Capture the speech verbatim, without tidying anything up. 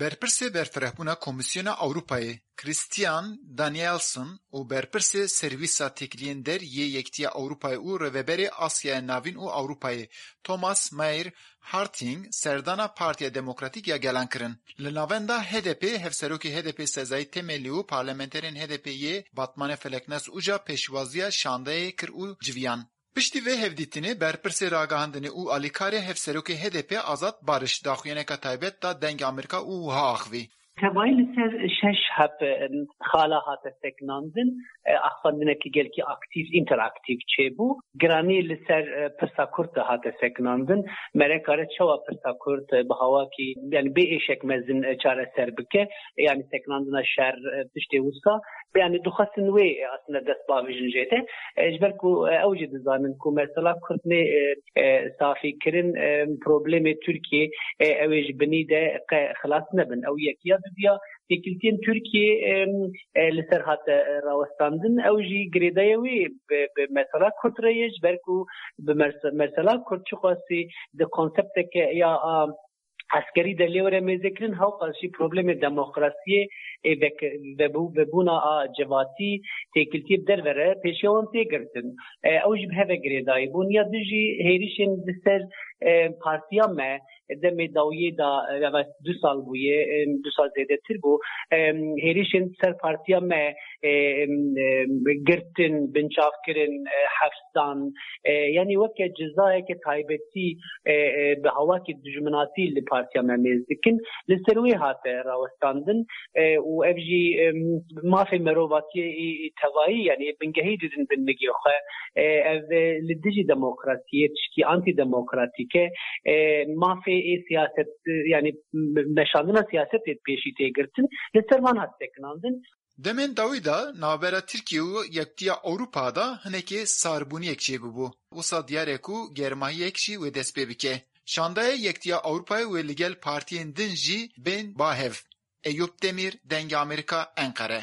Berpirsê berfirehbûna Komîsyona Ewropayê Christian Danielson û berpirsê Servîsa Têkiliyên Der yê Yekitiya Ewropayê û Rêveberê Asyaya Navîn û Ewropayê Thomas Meyer Harting serdana Partiya Demokratîk ya Gelan kirin. Li navenda H D P, hevserokê H D P Sezai Temelli û parlamenterên H D P yê Batmanê Feleknas Uca pêşwaziya şandeyê kir û civiyan. Piştî vê hevdîtinê, berpirsê ragihandinê û alîkarê hevserokê H D P Azad Barış daxuyaneka taybet da Dengê Amerîka û wiha axivî. Tevayî li ser şeş heb, e, xala hate sekinandin, e, axifandinekî gelkî aktîf, înteraktîf çêbû. Giranî li ser, e, pirsa kurt de hate sekinandin. Me re kare çawa pirsa kurt, e, bi hawakî, yani bê êşek mezin, e, çareser bike, yani sekinandina şer, e, tiştê wisa. Yani dixwestin wê, e, aslında dest bavêjin jê de. E, ji ber ku, e, ew jî dizanin ku mesela kurt nê, e, e, safî kirin, e, problemê Tirkiyê, e, ew ê ji binî de qe xilas nebin. Ew yek ya. Dudiya, têkiltiyên Tirkiyê, e, e, li ser hate, e, rawestandin. Ew jî girêdayê wê bi, bi mesela kurt re ye, ji ber ku bi merse-, mesela kurt çiqasî di konsepteke ya, a, eskerî de lê were mêzekirin, hewqas jî problemê demokrasiyê, ê vek-, vebû-, vebûna a civatî, têkiltiyê bi derve re pêşiya wan tê girtin. E, ew jî bi heve girêdayî bûn. Ya du jî hêrişên li ser, e, partiya me, demê dawiyê de, e, ev du sal bûye, e, du sal zêdetir bû, e, hêrişên ser partiya me, e, e, girtin, binçavkirin, e, hefsdan, e, yanî weke cezayeke taybetî, e, e, bi hawakî dijminatî li partiya me mêz dikin. Li ser wê hate rawestandin, e, û ev jî, e, mafê merovatiyê ê, ê tevayî, yanî bingehî didin bin migê xwe. E, ev, e, li dijî demokrasiyê tiştî antîdemokratîk e. E, mafê ê siyaset, e, yanî me-, meşandina siyasetê pêşî tê girtin. Li ser van hat sekinandin. Demên dawî de navbera Tirkiye û Yekitiya Ewropa de hinekê sarbûniyek çêbûbû. Wisa diyar e ku germahiyek jî wê dest pê bike. Şandeyê Yekitiya Ewropayê wê li gel partiyên din jî bên ba hev. Eyûp Demîr, Dengê Amerîka, Enqere.